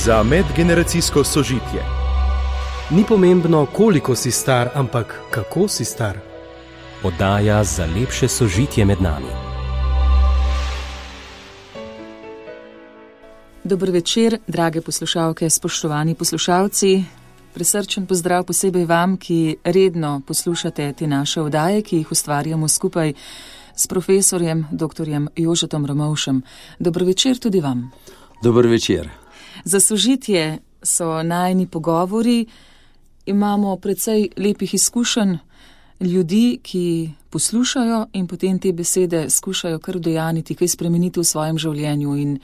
za medgeneracijsko sožitje. Ni pomembno, koliko si star, ampak kako si star. Oddaja za lepše sožitje med nami. Dober večer, drage poslušalke, spoštovani poslušalci. Prisrčen pozdrav posebej vam, ki redno poslušate te naše oddaje, ki jih ustvarjamo skupaj s profesorjem dr. Jožetom Ramovšem. Dober večer tudi vam. Dober večer. Za sožitje so najini pogovori. Imamo precej lepih izkušenj ljudi, ki poslušajo in potem te besede skušajo kar udejaniti, kaj spremeniti v svojem življenju in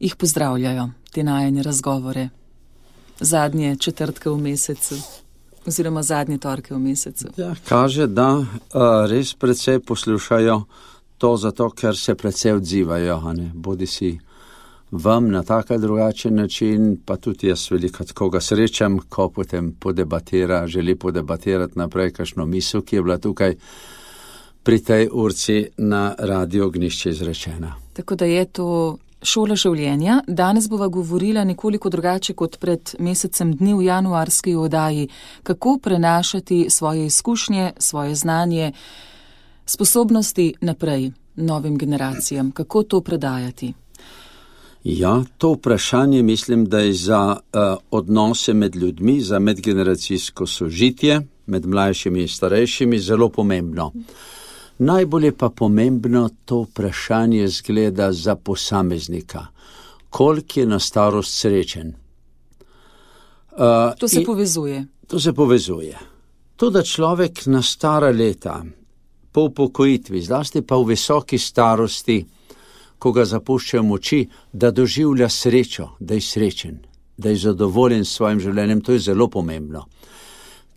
jih pozdravljajo, te najine razgovore. Zadnje četrtke v mesecu, oziroma zadnje torke v mesecu. Ja, kaže, da res precej poslušajo to zato, ker se precej odzivajo, bodi si vam na tak ali drugačen način, pa tudi jaz velikokrat koga srečam, ko potem želi podebatirati naprej kakšno misel, ki je bila tukaj pri tej urci na Radio Ognišče izrečena. Tako da je to šola življenja. Danes bova govorila nekoliko drugače kot pred mesecem dni v januarski oddaji, kako prenašati svoje izkušnje, svoje znanje, sposobnosti naprej novim generacijam, kako to predajati. Ja, to vprašanje mislim, da je za odnose med ljudmi, za medgeneracijsko sožitje, med mlajšimi in starejšimi zelo pomembno. Najbolj je pa pomembno to vprašanje zgleda za posameznika. Koliko je na starost srečen? To se povezuje. To se povezuje. To, da človek na stara leta, po upokojitvi, zlasti pa v visoki starosti, ko ga zapuščajo moči, da doživlja srečo, da je srečen, da je zadovoljen s svojim življenjem, to je zelo pomembno.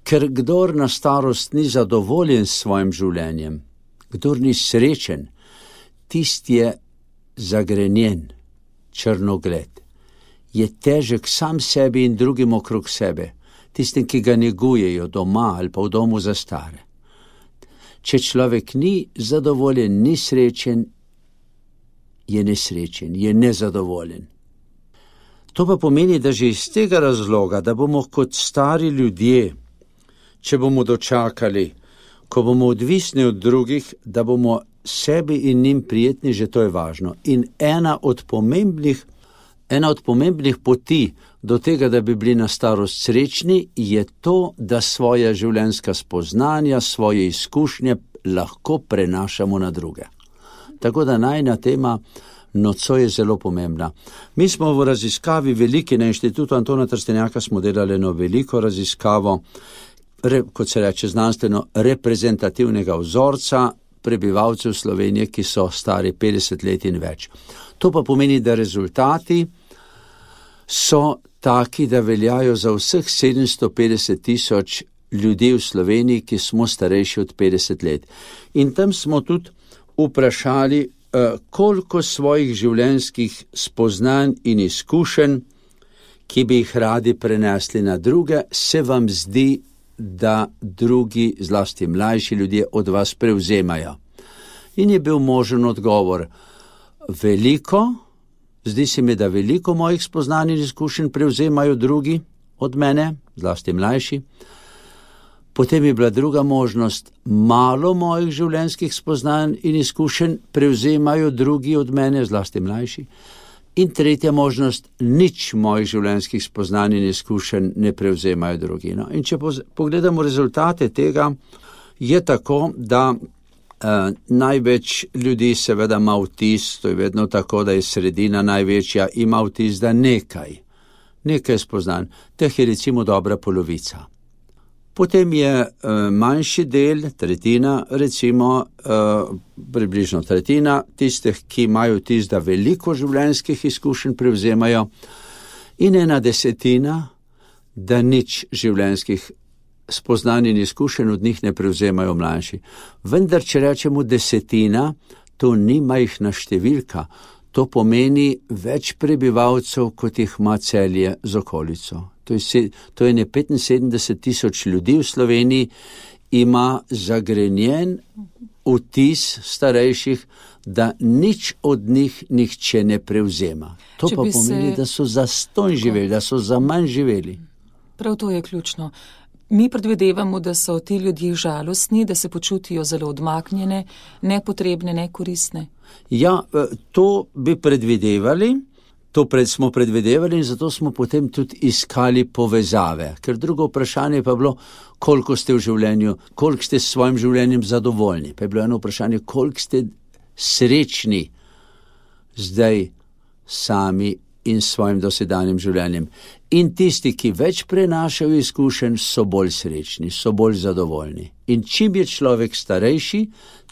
Ker kdor na starost ni zadovoljen s svojim življenjem, kdor ni srečen, tisti je zagrenjen, črnogled, je težek sam sebi in drugim okrog sebe, tistim, ki ga negujejo doma ali pa v domu za stare. Če človek ni zadovoljen, ni srečen, je nesrečen, je nezadovoljen. To pa pomeni, da že iz tega razloga, da bomo kot stari ljudje, če bomo dočakali, ko bomo odvisni od drugih, da bomo sebi in njim prijetni, že to je važno. In ena od pomembnih poti do tega, da bi bili na starost srečni, je to, da svoja življenjska spoznanja, svoje izkušnje lahko prenašamo na druge. Tako da najina tema nocoj je zelo pomembna. Mi smo v raziskavi veliki na Inštitutu Antona Trstenjaka smo delali eno veliko raziskavo, kot se reče znanstveno, reprezentativnega vzorca prebivalcev Slovenije, ki so stari 50 let in več. To pa pomeni, da rezultati so taki, da veljajo za vseh 750 000 ljudi v Sloveniji, ki smo starejši od 50 let. In tam smo tudi vprašali, koliko svojih življenjskih spoznanj in izkušenj, ki bi jih radi prenesli na druge, se vam zdi, da drugi, zlasti mlajši ljudje, od vas prevzemajo. In je bil možen odgovor: veliko, zdi se mi, da veliko mojih spoznanj in izkušenj prevzemajo drugi od mene, zlasti mlajši. Potem je bila druga možnost: malo mojih življenjskih spoznanj in izkušenj prevzemajo drugi od mene, zlasti mlajši. In tretja možnost: nič mojih življenjskih spoznanj in izkušenj ne prevzemajo drugi. No, in če pogledamo rezultate tega, je tako, da največ ljudi seveda ima vtis, to je vedno tako, da je sredina največja, ima vtis, da nekaj spoznanj, teh je recimo dobra polovica. Potem je manjši del, tretjina, recimo približno tretjina tistih, ki imajo vtis, da veliko življenjskih izkušenj prevzemajo, in 1/10, da nič življenjskih spoznanj in izkušenj od njih ne prevzemajo mlajši. Vendar, če rečemo 10, to ni majhna številka, to pomeni več prebivalcev, kot jih ima Celje z okolico. To je 75 000 ljudi v Sloveniji, ima zagrenjen vtis starejših, da nič od njih nihče ne prevzema. To pa pomeni, da so zastonj živeli, da so za manj živeli. Prav to je ključno. Mi predvidevamo, da so ti ljudje žalostni, da se počutijo zelo odmaknjene, nepotrebne, nekoristne. Ja, to bi predvidevali, smo predvidevali in zato smo potem tudi iskali povezave. Ker drugo vprašanje pa je bilo, koliko ste v življenju, koliko ste s svojim življenjem zadovoljni. Pa je bilo eno vprašanje, koliko ste srečni zdaj sami in svojim dosedanjim življenjem. In tisti, ki več prenašajo izkušenj, so bolj srečni, so bolj zadovoljni. In čim je človek starejši,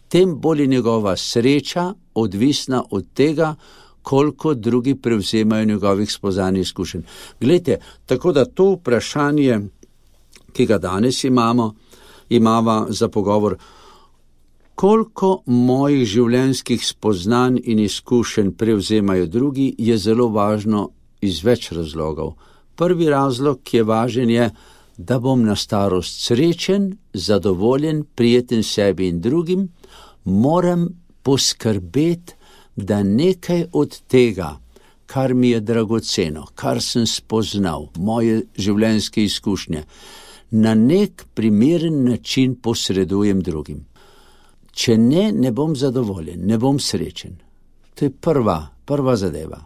tem bolj je njegova sreča odvisna od tega, koliko drugi prevzemajo njegovih spoznanj in izkušenj. Glejte, tako da to vprašanje, ki ga danes imava za pogovor, koliko mojih življenjskih spoznanj in izkušenj prevzemajo drugi, je zelo važno iz več razlogov. Prvi razlog, ki je važen, je, da bom na starost srečen, zadovoljen, prijeten sebi in drugim, moram poskrbeti, da nekaj od tega, kar mi je dragoceno, kar sem spoznal, moje življenjske izkušnje, na nek primeren način posredujem drugim. Če ne bom zadovoljen, ne bom srečen. To je prva zadeva.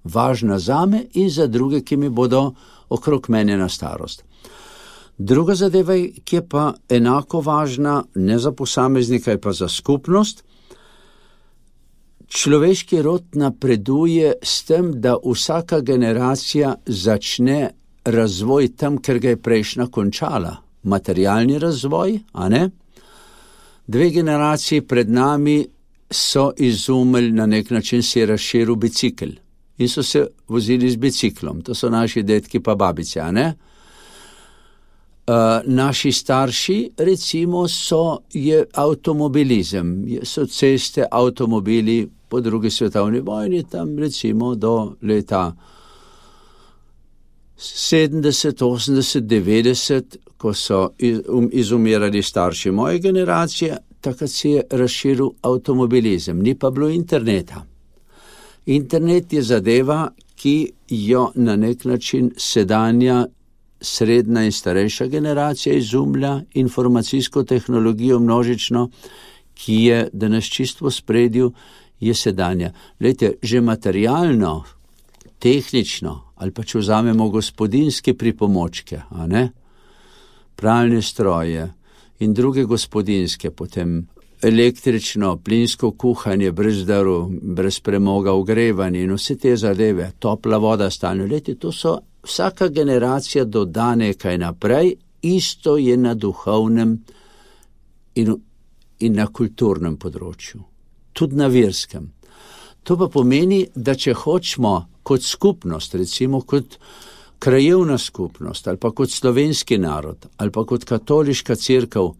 Važna zame in za druge, ki mi bodo okrog mene na starost. Druga zadeva, ki je pa enako važna, ne za posameznika, pa za skupnost. Človeški rod napreduje s tem, da vsaka generacija začne razvoj tam, ker ga je prejšnja končala. Materialni razvoj, a ne? 2 generaciji pred nami so izumili, na nek način se je razširil bicikl in so se vozili z biciklom. To so naši dedki pa babice, a ne? Naši starši, recimo, je avtomobilizem, so ceste, avtomobili po drugi svetovni vojni, tam recimo do leta 70, 80, 90, ko so izumirali starši moje generacije, takrat se je razširil avtomobilizem, ni pa bilo interneta. Internet je zadeva, ki jo na nek način sedanja, srednja in starejša generacija izumlja, informacijsko tehnologijo množično, ki je danes čisto v spredju, je sedanja. Glejte, že materialno, tehnično, ali pa če vzamemo gospodinjske pripomočke, a ne? Pralne stroje in druge gospodinjske, potem električno, plinsko kuhanje brez drv, brez premoga, ogrevanje in vse te zadeve, topla voda stalno. Glejte, to so vsaka generacija doda nekaj naprej, isto je na duhovnem in na kulturnem področju, tudi na verskem. To pa pomeni, da če hočemo kot skupnost, recimo kot krajevna skupnost, ali pa kot slovenski narod, ali pa kot katoliška cerkev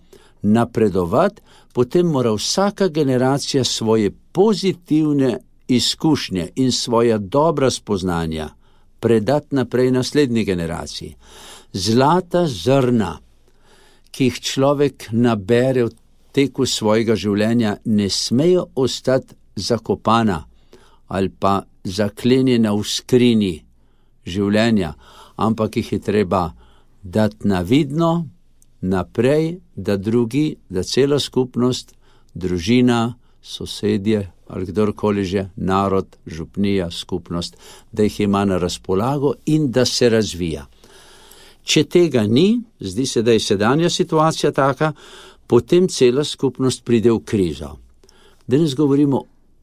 napredovati, potem mora vsaka generacija svoje pozitivne izkušnje in svoja dobra spoznanja predati naprej naslednji generaciji. Zlata zrna, ki jih človek nabere v teku svojega življenja, ne smejo ostati zakopana ali pa zaklenjena v skrinji življenja, ampak jih je treba dati na vidno naprej, da drugi, da cela skupnost, družina, sosedje ali kdorkoli že, narod, župnija, skupnost, da jih ima na razpolago in da se razvija. Če tega ni, zdi se, da je sedanja situacija taka, potem cela skupnost pride v krizo. Danes govorimo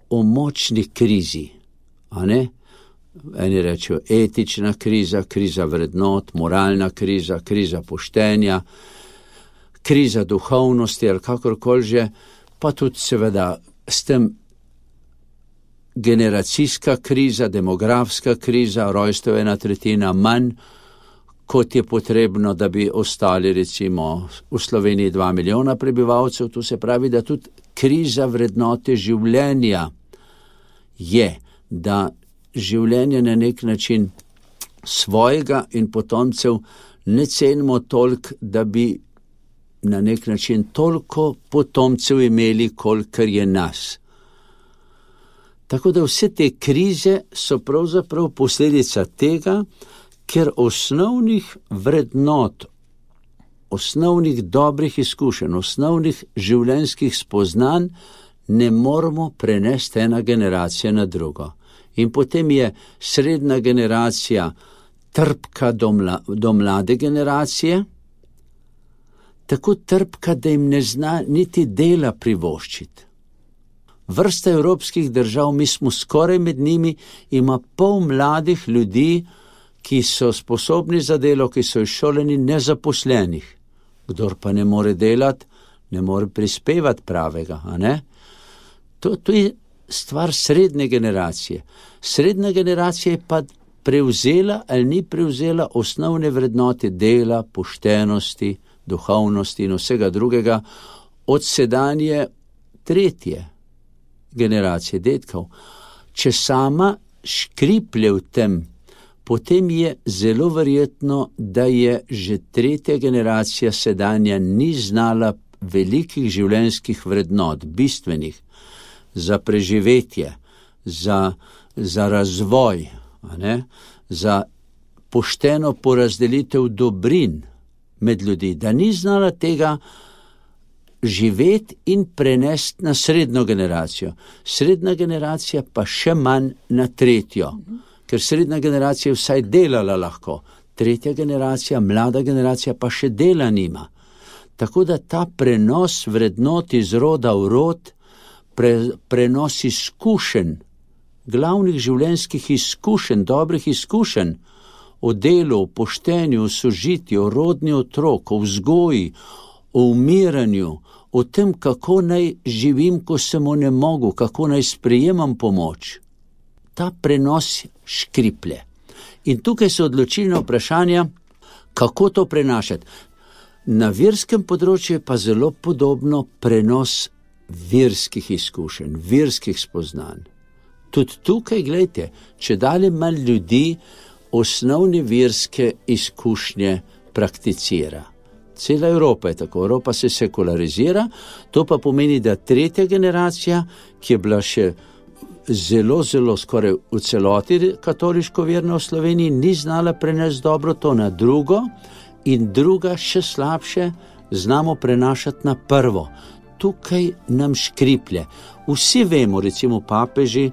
o močni krizi, a ne? Eni rečejo etična kriza, kriza vrednot, moralna kriza, kriza poštenja, kriza duhovnosti ali kakorkoli že, pa tudi seveda s tem generacijska kriza, demografska kriza, rojstev 1/3 manj, kot je potrebno, da bi ostali recimo v Sloveniji 2 milijona prebivalcev. To se pravi, da tudi kriza vrednote življenja je, da življenje na nek način svojega in potomcev ne cenimo toliko, da bi na nek način toliko potomcev imeli, kolikor je nas. Tako da vse te krize so pravzaprav posledica tega, ker osnovnih vrednot, osnovnih dobrih izkušenj, osnovnih življenjskih spoznanj ne moremo prenesti ena generacija na drugo. In potem je srednja generacija trpka do mlade generacije, tako trpka, da jim ne zna niti dela privoščiti. Vrsta evropskih držav, mi smo skoraj med njimi, ima pol mladih ljudi, ki so sposobni za delo, ki so izšoleni, nezaposlenih. Kdor pa ne more delati, ne more prispevati pravega, a ne? To je stvar srednje generacije. Srednja generacija je pa prevzela ali ni prevzela osnovne vrednote dela, poštenosti, duhovnosti in vsega drugega od sedanje tretje generacije detkov. Če sama škriplje v tem, potem je zelo verjetno, da je že tretja generacija sedanja ni znala velikih življenjskih vrednot, bistvenih, za preživetje, za razvoj, a ne? Za pošteno porazdelitev dobrin med ljudi, da ni znala tega živeti in prenesti na srednjo generacijo. Srednja generacija pa še manj na tretjo, ker srednja generacija je vsaj delala lahko, tretja generacija, mlada generacija pa še dela nima. Tako da ta prenos vrednot iz roda v rod, prenos izkušenj, glavnih življenjskih izkušenj, dobrih izkušenj o delu, o poštenju, o sožitju, o rodnji otrok, o vzgoji, o umiranju, o tem, kako naj živim, ko sem onemogel, kako naj sprejemam pomoč. Ta prenos škriplje. In tukaj so odločilna vprašanja, kako to prenašati. Na verskem področju je pa zelo podobno prenos verskih izkušenj, verskih spoznanj. Tudi tukaj, gledajte, če dalje manj ljudi osnovne verske izkušnje prakticira. Cela Evropa je tako, Evropa se sekularizira, to pa pomeni, da tretja generacija, ki je bila še zelo skoraj v celoti katoliško verna v Sloveniji, ni znala prenesti dobro to na drugo in druga še slabše znamo prenašati na prvo. Tukaj nam škriplje. Vsi vemo, recimo papeži,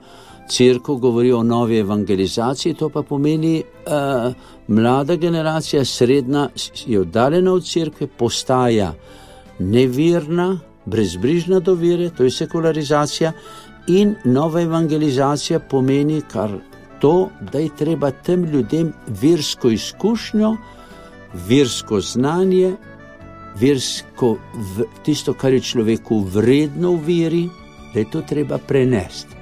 cerkev govori o novi evangelizaciji, to pa pomeni mlada generacija, srednja je oddaljena od cerkve, postaja neverna, brezbrižna do vere, to je sekularizacija, in nova evangelizacija pomeni kar to, da je treba tem ljudem versko izkušnjo, versko znanje, versko, tisto, kar je človeku vredno v veri, da je to treba prenesti.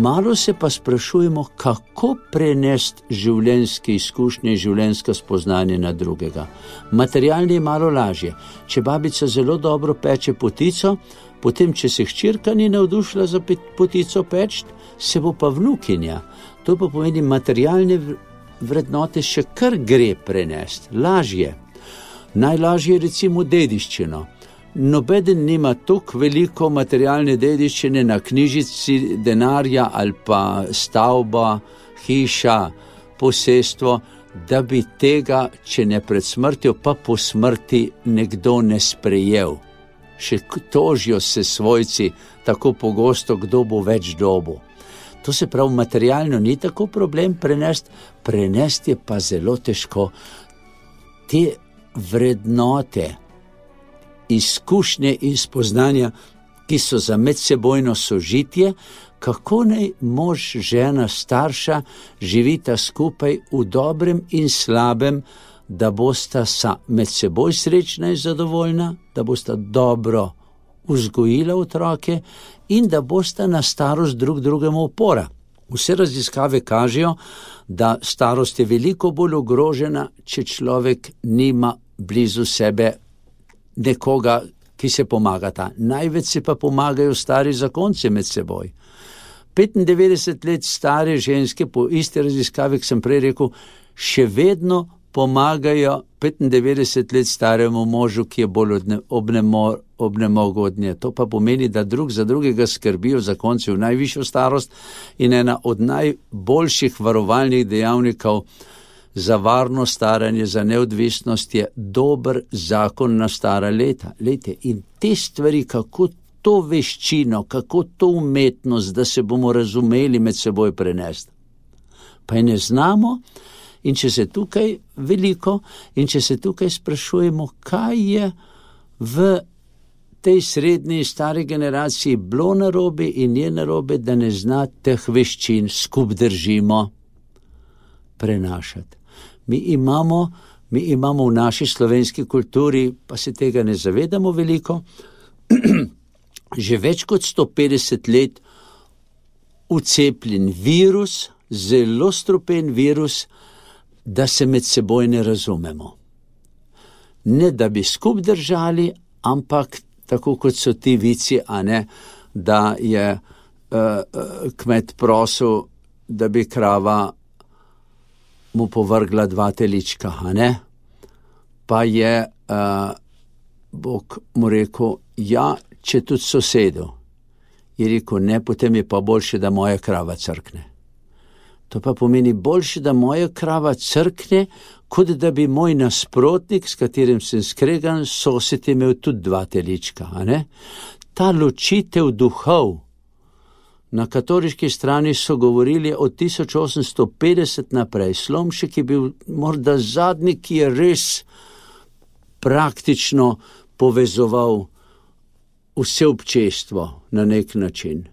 Malo se pa sprašujemo, kako prenesti življenjske izkušnje, življenjska spoznanja na drugega. Materialni je malo lažje. Če babica zelo dobro peče potico, potem, če se hčerka ni navdušila za potico peč, se bo pa vnukinja. To pa pomeni, materialne vrednote še kar gre prenesti. Lažje. Najlažje je recimo dediščino. Nobeden nima toliko veliko materialne dediščine na knjižici denarja ali pa stavba, hiša, posestvo, da bi tega, če ne pred smrtjo, pa po smrti nekdo ne sprejel. Še tožijo se svojci tako pogosto, kdo bo več dobil. To se pravi, materialno ni tako problem prenesti je pa zelo težko. Te vrednote, izkušnje in spoznanja, ki so za medsebojno sožitje, kako naj mož, žena, starša živita skupaj v dobrem in slabem, da bosta med seboj srečna in zadovoljna, da bosta dobro vzgojila otroke in da bosta na starost drug drugemu opora. Vse raziskave kažejo, da starost je veliko bolj ogrožena, če človek nima blizu sebe nekoga, ki se pomagata. Največ se pa pomagajo stari zakonci med seboj. 95 let stare ženske, po iste raziskave, ki sem prej rekel, še vedno pomagajo 95 let staremu možu, ki je bolj obnemogel od nje. To pa pomeni, da drug za drugega skrbijo zakonci v najvišjo starost in ena od najboljših varovalnih dejavnikov za varno staranje, za neodvisnost je dober zakon na stara leta. Lejte, in te stvari, kako to veščino, kako to umetnost, da se bomo razumeli med seboj prenesti. Pa je ne znamo. In če se tukaj veliko, in če se tukaj sprašujemo, kaj je v tej srednji stari generaciji bilo narobe in je narobe, da ne zna teh veščin skup držimo prenašati. Mi imamo v naši slovenski kulturi, pa se tega ne zavedamo veliko, že več kot 150 let vcepljen virus, zelo strupen virus, da se med seboj ne razumemo. Ne da bi skup držali, ampak tako kot so ti vici, a ne, da je kmet prosil, da bi krava mu povrgla 2 telička, a ne? Pa je Bog mu rekel, ja, če tudi sosedu. Je rekel, ne, potem je pa boljše, da moja krava crkne. To pa pomeni boljše, da moja krava crkne, kot da bi moj nasprotnik, s katerim sem skregan, sosed imel tudi 2 telička, a ne? Ta ločitev duhov. Na katoliški strani so govorili od 1850 naprej. Slomšek je bil morda zadnji, ki je res praktično povezoval vse občestvo na nek način.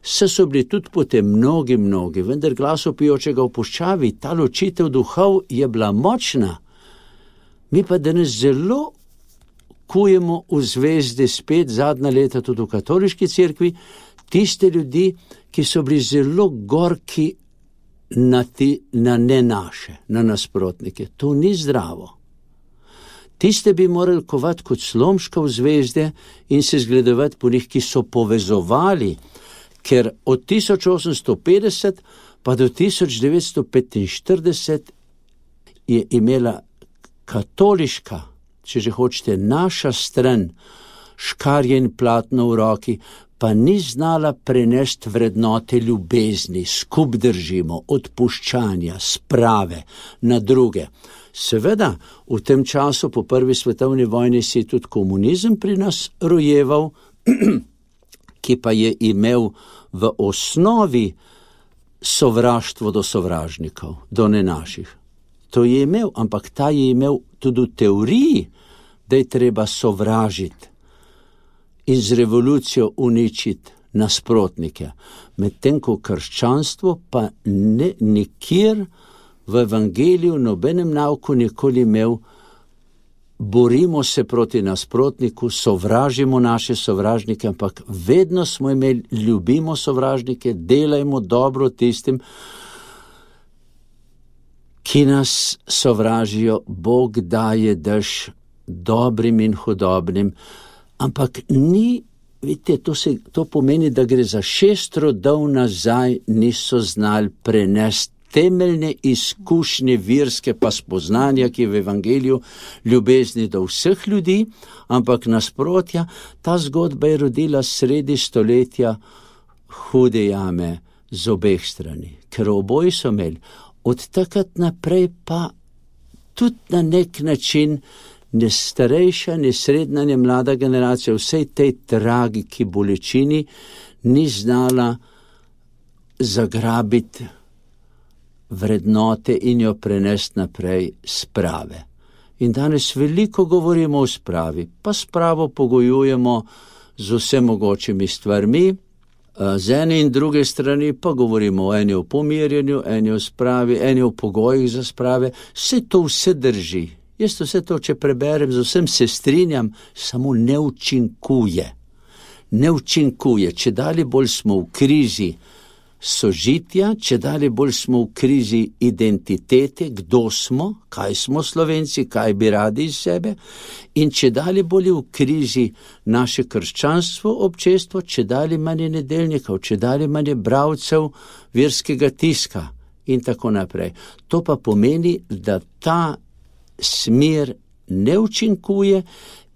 So bili tudi potem mnogi, vendar glasopijočega v puščavi, ta ločitev duhov je bila močna. Mi pa danes zelo kujemo v zvezde spet zadnja leta tudi v katoliški cerkvi, tiste ljudi, ki so bili zelo gorki na ne naše, na nasprotnike. To ni zdravo. Tiste bi morali kovati kot Slomška v zvezde in se zgledovati po njih, ki so povezovali, ker od 1850 pa do 1945 je imela katoliška, če že hočete, naša stran, škarje in platno v roki, pa ni znala prenesti vrednote ljubezni, skup držimo, odpuščanja, sprave na druge. Seveda, v tem času po prvi svetovni vojni si tudi komunizem pri nas rojeval, ki pa je imel v osnovi sovraštvo do sovražnikov, do nenaših. To je imel, ampak ta je imel tudi v teoriji, da je treba sovražiti in z revolucijo uničiti nasprotnike. Medtem ko krščanstvo pa nikjer v evangeliju nobenem nauku nikoli imel borimo se proti nasprotniku, sovražimo naše sovražnike, ampak vedno smo imeli, ljubimo sovražnike, delajmo dobro tistim, ki nas sovražijo. Bog daje dež dobrim in hudobnim, ampak ni, vidite, to pomeni, da gre za 6 rodov nazaj, niso znali prenesti temeljne izkušnje virske pa spoznanja, ki je v evangeliju ljubezni do vseh ljudi, ampak nasprotja, ta zgodba je rodila sredi stoletja hude jame z obeh strani, ker oboji so imeli. Od takrat naprej pa tudi na nek način ne starejša, ne srednja, ne mlada generacija vsej tej tragiki bolečini ni znala zagrabiti vrednote in jo prenesti naprej sprave. In danes veliko govorimo o spravi, pa spravo pogojujemo z vsemogočimi stvarmi, Z ene in druge strani pa govorimo o eni o pomirjanju, eni o spravi, eni o pogojih za sprave. Vse drži. Jaz vse to, če preberem, z vsem se strinjam, samo ne učinkuje. Ne učinkuje. Čedalje bolj smo v krizi sožitja, čedalje bolj smo v krizi identitete, kdo smo, kaj smo Slovenci, kaj bi radi iz sebe, in čedalje bolj v krizi naše krščanstvo, občestvo, čedalje manj nedeljnikov, čedalje manj bralcev verskega tiska in tako naprej. To pa pomeni, da ta smer ne učinkuje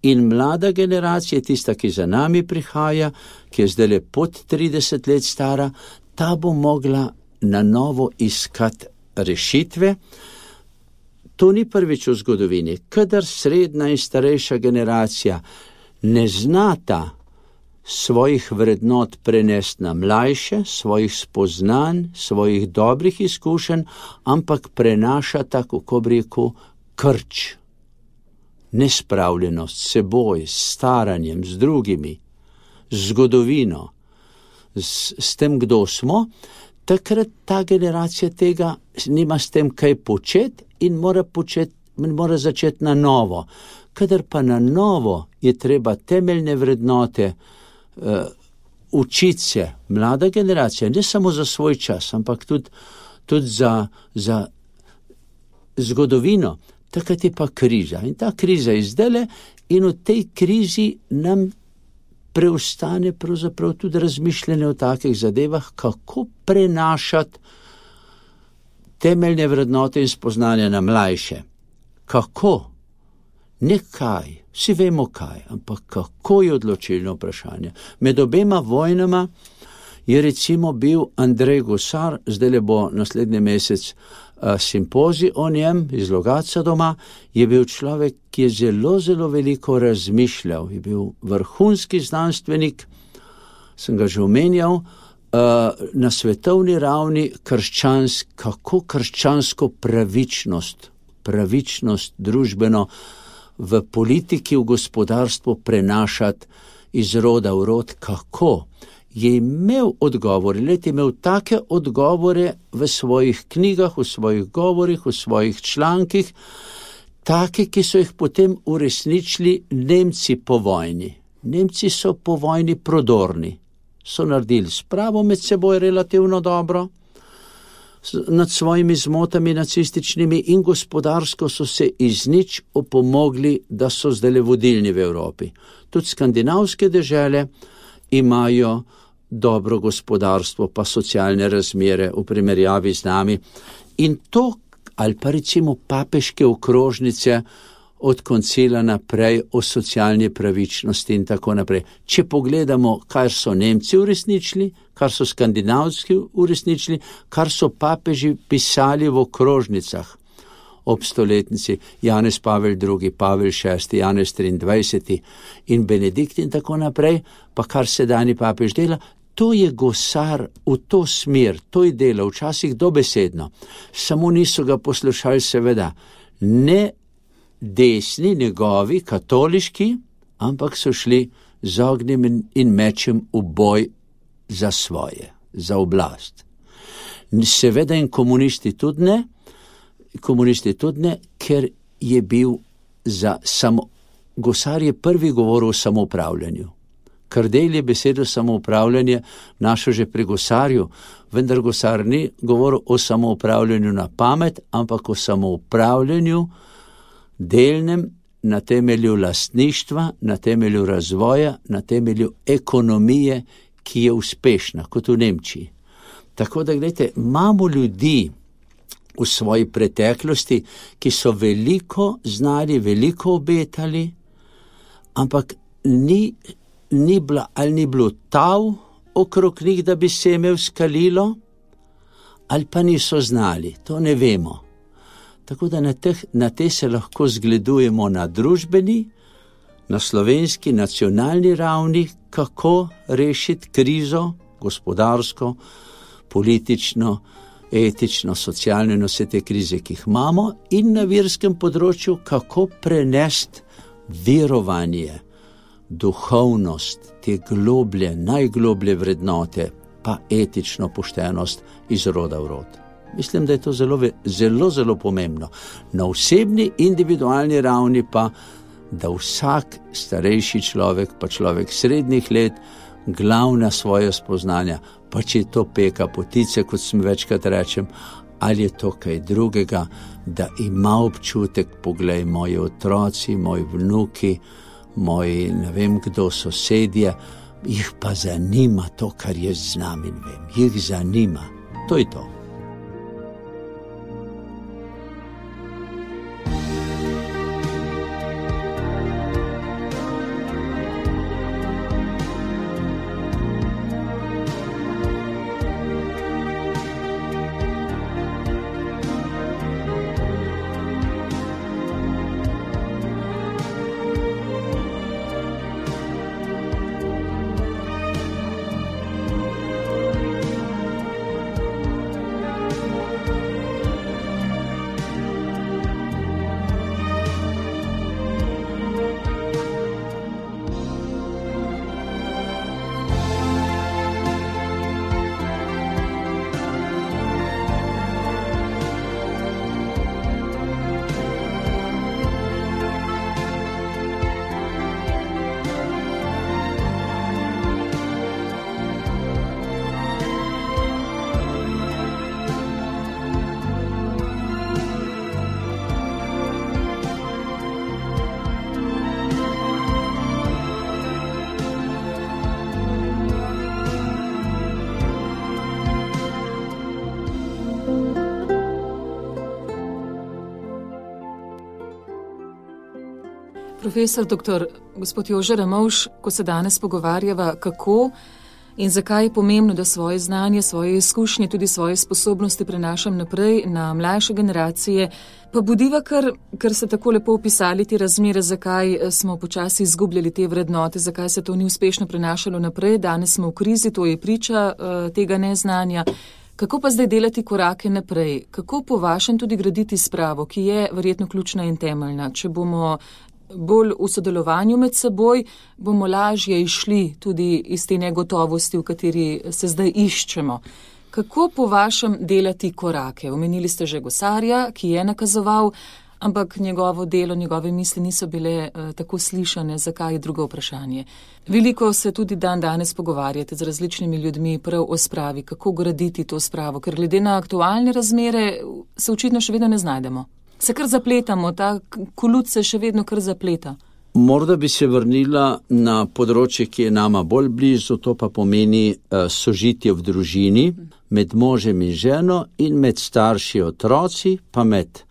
in mlada generacija, tista, ki za nami prihaja, ki je zdaj pod 30 let stara, ta bo mogla na novo iskati rešitve. To ni prvič v zgodovini. Kadar srednja in starejša generacija ne znata svojih vrednot prenesti na mlajše, svojih spoznanj, svojih dobrih izkušenj, ampak prenašata, kako bi rekel, krč, nespravljenost s seboj, s staranjem, z drugimi, z zgodovino, s tem, kdo smo, takrat ta generacija tega nima s tem kaj početi in mora začeti na novo. Kadar pa na novo je treba temeljne vrednote učiti se, mlada generacija, ne samo za svoj čas, ampak tudi za zgodovino, takrat je pa kriza. In ta kriza je zdajle in v tej krizi nam preostane pravzaprav tudi razmišljanje o takih zadevah, kako prenašati temeljne vrednote in spoznanja na mlajše. Kako? Ne kaj, vsi vemo kaj, ampak kako je odločilno vprašanje. Med obema vojnama je recimo bil Andrej Gosar, zdaj bo naslednji mesec simpozij o njem iz Logatca doma, je bil človek, ki je zelo, zelo veliko razmišljal, je bil vrhunski znanstvenik, sem ga že omenjal, na svetovni ravni kako krščansko pravičnost družbeno v politiki, v gospodarstvu prenašati iz roda v rod, kako je imel odgovore, je imel take odgovore v svojih knjigah, v svojih govorih, v svojih člankih, take, ki so jih potem uresničili Nemci po vojni. Nemci so po vojni prodorni, so naredili spravo med seboj relativno dobro, nad svojimi zmotami nacističnimi in gospodarsko so se iz nič opomogli, da so zdaj vodilni v Evropi. Tudi skandinavske dežele imajo dobro gospodarstvo pa socialne razmere v primerjavi z nami. In to, ali pa recimo papeške okrožnice od koncila naprej o socialni pravičnosti in tako naprej. Če pogledamo, kar so Nemci uresničili, kar so skandinavski uresničili, kar so papeži pisali v okrožnicah ob stoletnici, Janez Pavel II, Pavel VI, Janez 23 in Benedikt in tako naprej, pa kar sedanji papež dela, to je Gosar v to smer, to je delo, včasih dobesedno. Samo niso ga poslušali seveda ne desni, njegovi, katoliški, ampak so šli z ognjem in mečem v boj za svoje, za oblast. Seveda in komunisti tudi ne, ker je bil Gosar je prvi govoril o samoupravljanju. Kardelj je besedo samoupravljanje našel že pri Gosarju, vendar Gosar ni govoril o samoupravljanju na pamet, ampak o samoupravljanju delnem na temelju lastništva, na temelju razvoja, na temelju ekonomije, ki je uspešna, kot v Nemčiji. Tako da, gledajte, imamo ljudi v svoji preteklosti, ki so veliko znali, veliko obetali, ampak ni bilo tav okrog njih, da bi se imel skalilo, ali pa niso znali, to ne vemo. Tako da na te se lahko zgledujemo na družbeni, na slovenski, nacionalni ravni, kako rešiti krizo, gospodarsko, politično, etično, socialno in vse te krize, ki jih imamo, in na verskem področju, kako prenesti verovanje, duhovnost, te globlje, najgloblje vrednote, pa etično poštenost iz roda v rod. Mislim, da je to zelo pomembno. Na osebni, individualni ravni pa, da vsak starejši človek, pa človek srednjih let, glavna svoja spoznanja, pa če je to peka potice, kot sem večkrat rečem, ali je to kaj drugega, da ima občutek, poglej, moji otroci, moji vnuki, moji ne vem kdo, sosedje, jih pa zanima to, kar jaz znam in vem. Jih zanima. To je to. Profesor dr. gospod Jože Ramovš, ko se danes pogovarjava, kako in zakaj je pomembno, da svoje znanje, svoje izkušnje, tudi svoje sposobnosti prenašam naprej na mlajše generacije, pa budiva, ker ste tako lepo opisali te razmere, zakaj smo počasi izgubljali te vrednote, zakaj se to ni uspešno prenašalo naprej, danes smo v krizi, to je priča tega neznanja. Kako pa zdaj delati korake naprej? Kako po vašem tudi graditi spravo, ki je verjetno ključna in temeljna? Če bomo bolj v sodelovanju med seboj, bomo lažje išli tudi iz te negotovosti, v kateri se zdaj iščemo. Kako po vašem delati korake? Omenili ste že Gosarja, ki je nakazoval, ampak njegovo delo, njegove misli niso bile tako slišane. Zakaj je drugo vprašanje? Veliko se tudi danes pogovarjate z različnimi ljudmi prav o spravi, kako graditi to spravo, ker glede na aktualne razmere se očitno še vedno ne znajdemo. Se kar zapletamo, ta kolut se še vedno kar zapleta. Morda bi se vrnila na področje, ki je nama bolj blizu, to pa pomeni sožitje v družini, med možem in ženo in med starši otroci, pa med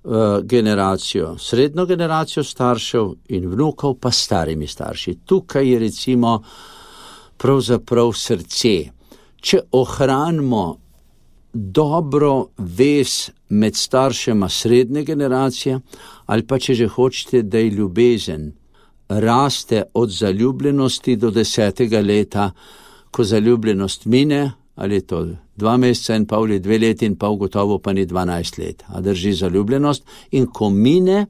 srednjo generacijo staršev in vnukov, pa starimi starši. Tukaj je recimo pravzaprav srce. Če ohranimo dobro vez med staršema srednje generacije, ali pa če že hočete, da je ljubezen raste od zaljubljenosti do 10. leta, ko zaljubljenost mine, ali je to 2 meseca in pol, 2 leti in pol, gotovo pa ni 12 let, a drži zaljubljenost, in ko mine,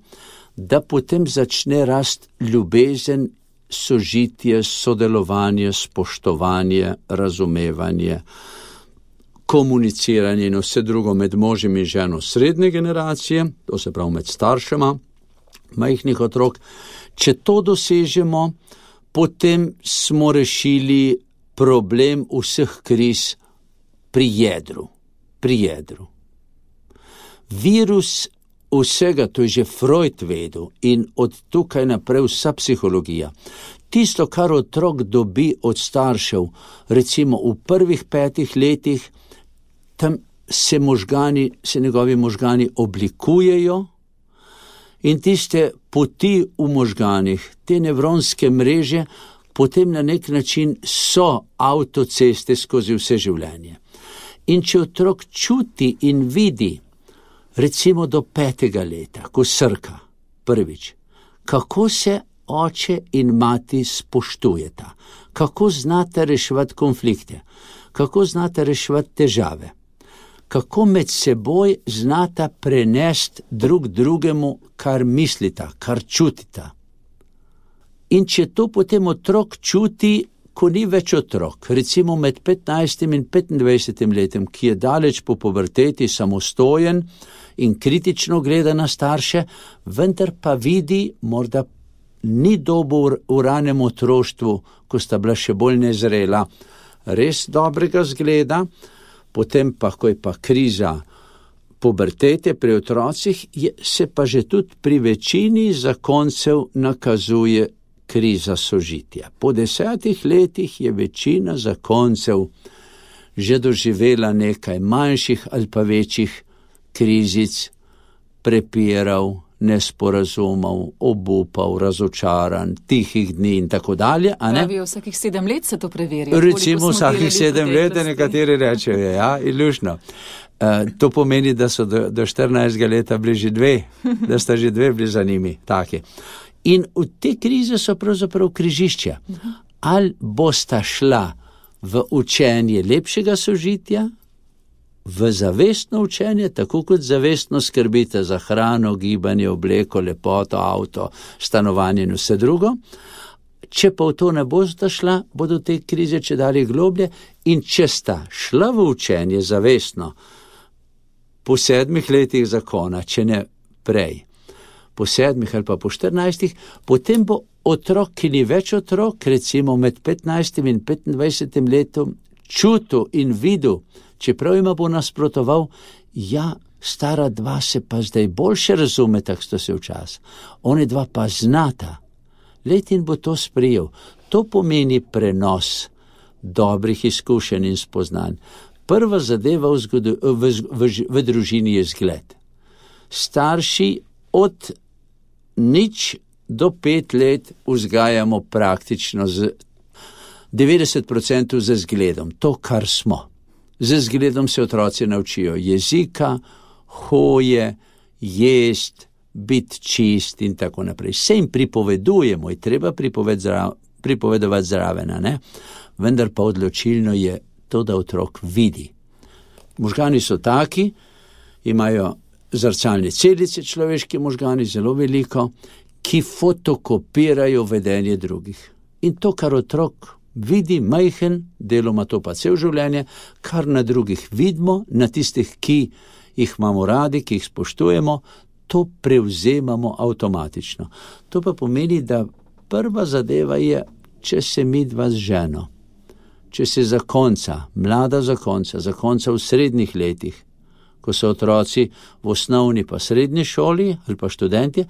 da potem začne rast ljubezen, sožitje, sodelovanje, spoštovanje, razumevanje, komuniciranje in vse drugo med možem in ženo srednje generacije, to se pravi med staršema majhnih otrok. Če to dosežemo, potem smo rešili problem vseh kriz pri jedru. Virus vsega, to je že Freud vedel in od tukaj naprej vsa psihologija. Tisto, kar otrok dobi od staršev, recimo v prvih 5 letih, tam se njegovi možgani oblikujejo in tiste poti v možganih, te nevronske mreže, potem na nek način so avtoceste skozi vse življenje. In če otrok čuti in vidi, recimo do 5. leta, ko srka prvič, kako se oče in mati spoštujeta, kako znate reševati konflikte, kako znate reševati težave, kako med seboj znata prenesti drug drugemu, kar mislita, kar čutita. In če to potem otrok čuti, ko ni več otrok, recimo med 15 in 25 letem, ki je daleč po puberteti, samostojen in kritično gleda na starše, vendar pa vidi, morda ni dobil v ranem otroštvu, ko sta bila še bolj nezrela, res dobrega zgleda, potem pa, ko je pa kriza pubertete pri otrocih, se pa že tudi pri večini zakoncev nakazuje kriza sožitja. Po 10 letih je večina zakoncev že doživela nekaj manjših ali pa večjih krizic, prepirov, nesporazumov, obupov, razočaranj, tihih dni in tako dalje. Pravijo, vsakih 7 let se to preverja. Recimo vsakih 7 let, nekateri rečejo, ja, ilušno. To pomeni, da so do 14 leta bili že dve, da sta že dve bili za njimi, taki. In v te krize so pravzaprav križišča. Ali bosta šla v učenje lepšega sožitja, v zavestno učenje, tako kot zavestno skrbite za hrano, gibanje, obleko, lepoto, avto, stanovanje in vse drugo. Če pa v to ne bosta šla, bodo te krize čedalje globlje, in če sta šla v učenje zavestno, po 7 letih zakona, če ne prej, po 7 ali pa po 14, potem bo otrok, ki ni več otrok, recimo med 15 in 25 letom, čutil in videl, čeprav ima bo nasprotoval, ja, stara dva se pa zdaj boljše razume, tak sto se včas. Oni dva pa znata. Letin bo to sprejel. To pomeni prenos dobrih izkušenj in spoznanj. Prva zadeva v družini je zgled. Starši od 0 do 5 let vzgajamo praktično z 90% z zgledom. To, kar smo. Z zgledom se otroci naučijo jezika, hoje, jest, biti čist in tako naprej. Vse jim pripovedujemo, je treba pripovedovati zraven, ne? Vendar pa odločilno je to, da otrok vidi. Možgani so taki, imajo zrcalne celice, človeški možgani, zelo veliko, ki fotokopirajo vedenje drugih. In to, kar otrok vidi, majhen, deloma to pa cel življenje, kar na drugih vidimo, na tistih, ki jih imamo radi, ki jih spoštujemo, to prevzemamo avtomatično. To pa pomeni, da prva zadeva je, če se midva z ženo, če se zakonca, mlada zakonca v srednjih letih, ko so otroci v osnovni pa srednji šoli ali pa študentje,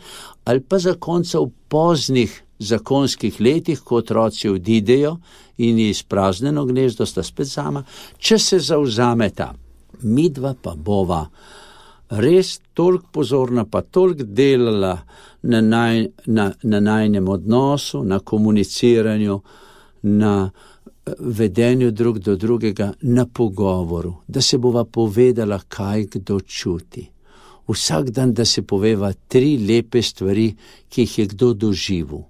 ali pa zakonca v poznih zakonskih letih, ko otroci odidejo in je izpraznjeno gnezdo, sta spet sama, če se zavzameta, midva pa bova res toliko pozorna, pa toliko delala na najnem odnosu, na komuniciranju, na vedenju drug do drugega, na pogovoru, da se bova povedala, kaj kdo čuti. Vsak dan, da se poveva 3 lepe stvari, ki jih je kdo doživel.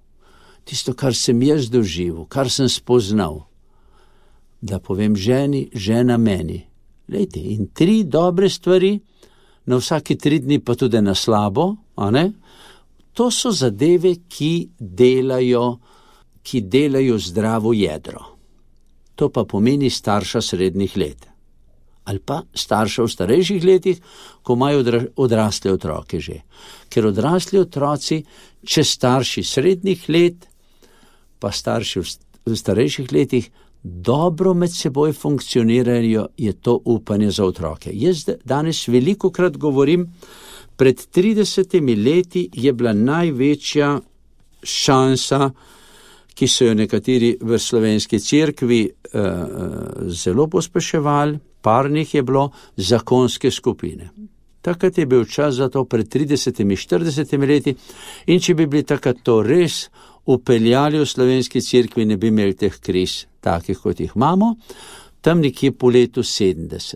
Tisto, kar sem jaz doživel, kar sem spoznal, da povem ženi, žena meni. Lejte, in 3 dobre stvari, na vsaki 3 dni pa tudi na slabo, a ne? To so zadeve, ki delajo zdravo jedro. To pa pomeni starša srednjih let. Ali pa starša v starejših letih, ko imajo odrasle otroke že. Ker odrasli otroci, če starši srednjih let, pa starši v starejših letih, dobro med seboj funkcionirajo, je to upanje za otroke. Jaz danes velikokrat govorim, pred 30 leti je bila največja šansa, ki so jo nekateri v slovenski cerkvi zelo pospeševali, parnih je bilo, zakonske skupine. Takrat je bil čas za to pred 30-40 leti, in če bi bili takrat to res upeljali v slovenski cerkvi, ne bi imeli teh kriz, takih kot jih imamo, tam nekje po letu 70.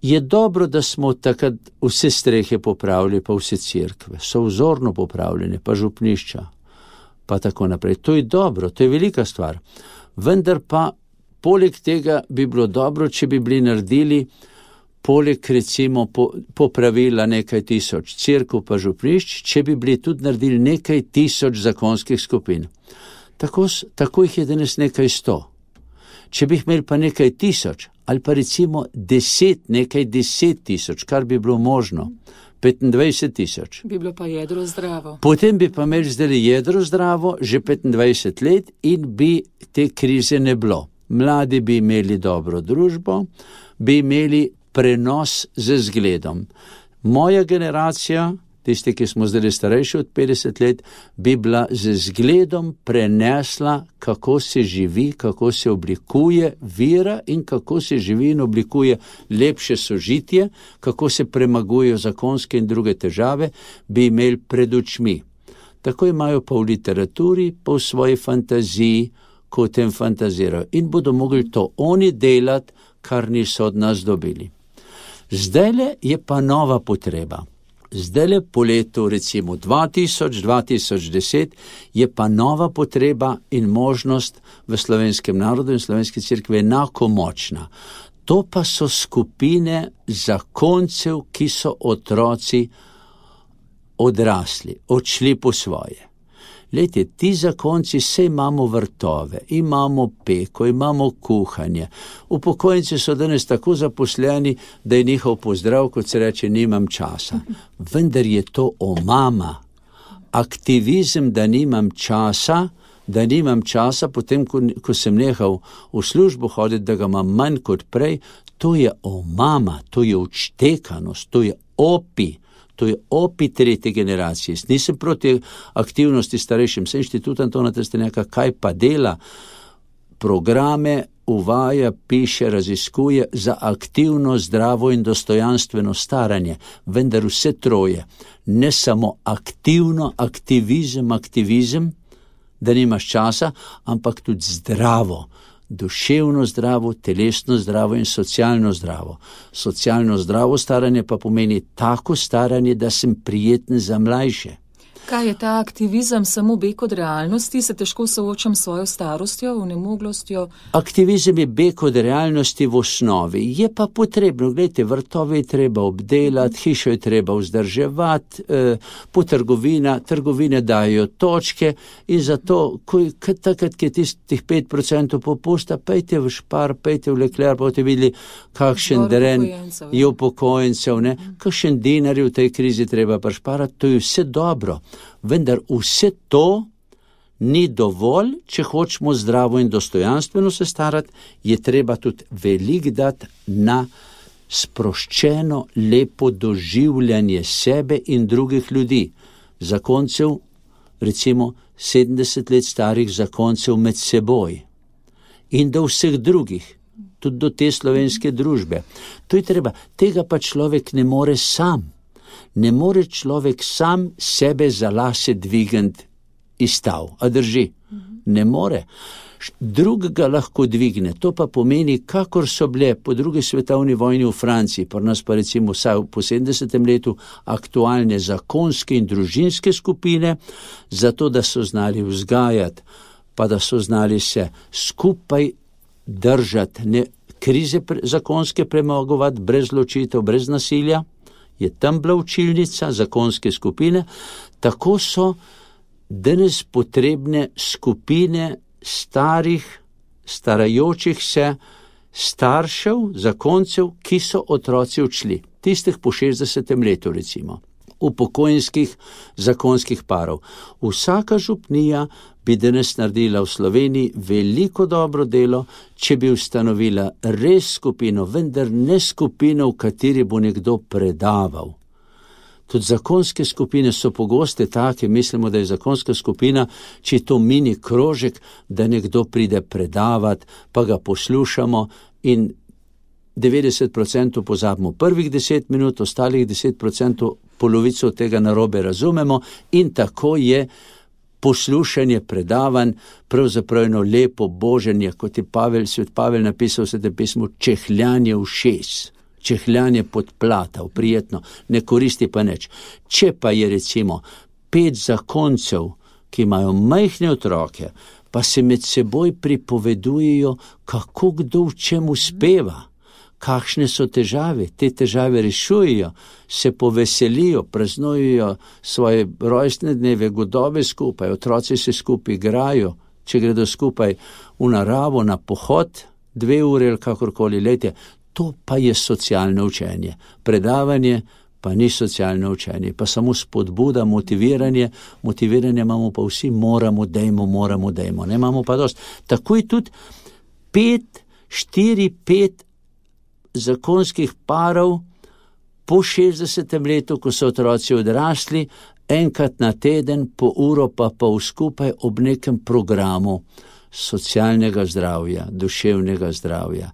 Je dobro, da smo takrat vse strehe popravili, pa vse cerkve, so vzorno popravljene, pa župnišča, pa tako naprej. To je dobro, to je velika stvar. Vendar pa, poleg tega bi bilo dobro, če bi bili naredili poleg recimo popravila nekaj tisoč cerkev pa župnišč, če bi bili tudi naredili nekaj tisoč zakonskih skupin. Tako jih je danes nekaj 100. Če bi imeli pa nekaj tisoč, ali pa recimo 10 tisoč, kar bi bilo možno, 25 tisoč. Bi bilo pa jedro zdravo. Potem bi pa imeli zdaj jedro zdravo, že 25 let in bi te krize ne bilo. Mladi bi imeli dobro družbo, bi imeli prenos z zgledom. Moja generacija, tisti, ki smo zdaj starejši od 50 let, bi bila z zgledom prenesla, kako se živi, kako se oblikuje vera in kako se živi in oblikuje lepše sožitje, kako se premagujejo zakonske in druge težave, bi imeli pred očmi. Tako imajo pa v literaturi, pa v svoji fantaziji, ko o tem fantazirajo. In bodo mogli to oni delati, kar niso od nas dobili. Zdajle je pa nova potreba. Zdajle po letu recimo 2010 je pa nova potreba in možnost v slovenskem narodu in slovenski cerkvi enako močna. To pa so skupine zakoncev, ki so otroci odrasli, odšli po svoje. Lejte, ti zakonci, saj imamo vrtove, imamo peko, imamo kuhanje. Upokojenci so danes tako zaposleni, da je njihov pozdrav, kot se reče, nimam časa. Vendar je to omama. Aktivizem, da nimam časa, potem, ko sem nehal v službo hoditi, da ga imam manj kot prej, to je omama, to je odštekanost, to je opi. To je opi tretje generacije. Nisem proti aktivnosti starejšim, sem inštitut Antona Trstenjaka, kaj pa dela, programe uvaja, piše, raziskuje za aktivno, zdravo in dostojanstveno staranje, vendar vse troje, ne samo aktivizem, da nimaš časa, ampak tudi zdravo, duševno zdravo, telesno zdravo in socialno zdravo. Socialno zdravo staranje pa pomeni tako staranje, da sem prijeten za mlajše. Kaj je ta aktivizem, samo beg od realnosti, se težko soočam s svojo starostjo, vnemoglostjo? Aktivizem je beg od realnosti v osnovi. Je pa potrebno, gledajte, vrtove je treba obdelati, hišo je treba vzdrževati, po trgovine dajo točke in zato, takrat, ki je tistih 5% popusta, pejte v Špar, pejte v Leclerc, pa boste videli, kakšen dren je upokojencev, kakšen dinar je v tej krizi treba prišparati, to je vse dobro. Vendar vse to ni dovolj, če hočemo zdravo in dostojanstveno se starati, je treba tudi veliko dati na sproščeno, lepo doživljanje sebe in drugih ljudi. Zakoncev, recimo 70 let starih zakoncev med seboj in do vseh drugih, tudi do te slovenske družbe. To je treba, tega pa človek ne more sam. Ne more človek sam sebe za lase dvigniti iz stav, a drži? Ne more. Drugega lahko dvigne, to pa pomeni, kakor so bile po drugi svetovni vojni v Franciji, pri nas pa recimo vsaj po 70. letu aktualne zakonske in družinske skupine, zato da so znali vzgajati, pa da so znali se skupaj držati, krize zakonske premagovati brez ločitev, brez nasilja. Je tam bila učilnica, zakonske skupine, tako so danes potrebne skupine starajočih se staršev, zakoncev, ki so otroci odšli, tistih po 60. letu recimo, upokojenskih zakonskih parov. Vsaka župnija bi danes naredila v Sloveniji veliko dobro delo, če bi ustanovila res skupino, vendar ne skupino, v kateri bo nekdo predaval. Tudi zakonske skupine so pogoste take, mislimo, da je zakonska skupina, če je to mini krožek, da nekdo pride predavati, pa ga poslušamo in 90% pozabimo prvih 10 minut, ostalih 10% polovico tega narobe razumemo in tako je poslušanje predavanj, pravzaprav eno lepo boženje, kot je svet Pavel napisal v Svetem pismu, čehljanje ušes, čehljanje podplatav, prijetno, ne koristi pa nič. Če pa je recimo 5 zakoncev, ki imajo majhne otroke, pa se med seboj pripovedujejo, kako kdo v čem uspeva, kakšne so težave. Te težave rešujejo, se poveselijo, praznujejo svoje rojstne dneve, godove skupaj, otroci se skupaj igrajo, če gredo skupaj v naravo, na pohod, 2 ure ali kakorkoli letje. To pa je socialno učenje. Predavanje pa ni socialno učenje, pa samo spodbuda, motiviranje. Motiviranje imamo pa vsi, moramo, dejmo. Ne imamo pa dosti. Tako je tudi 4-5 zakonskih parov po 60. letu, ko so otroci odrasli, enkrat na teden, po uro pa pol skupaj ob nekem programu socialnega zdravja, duševnega zdravja,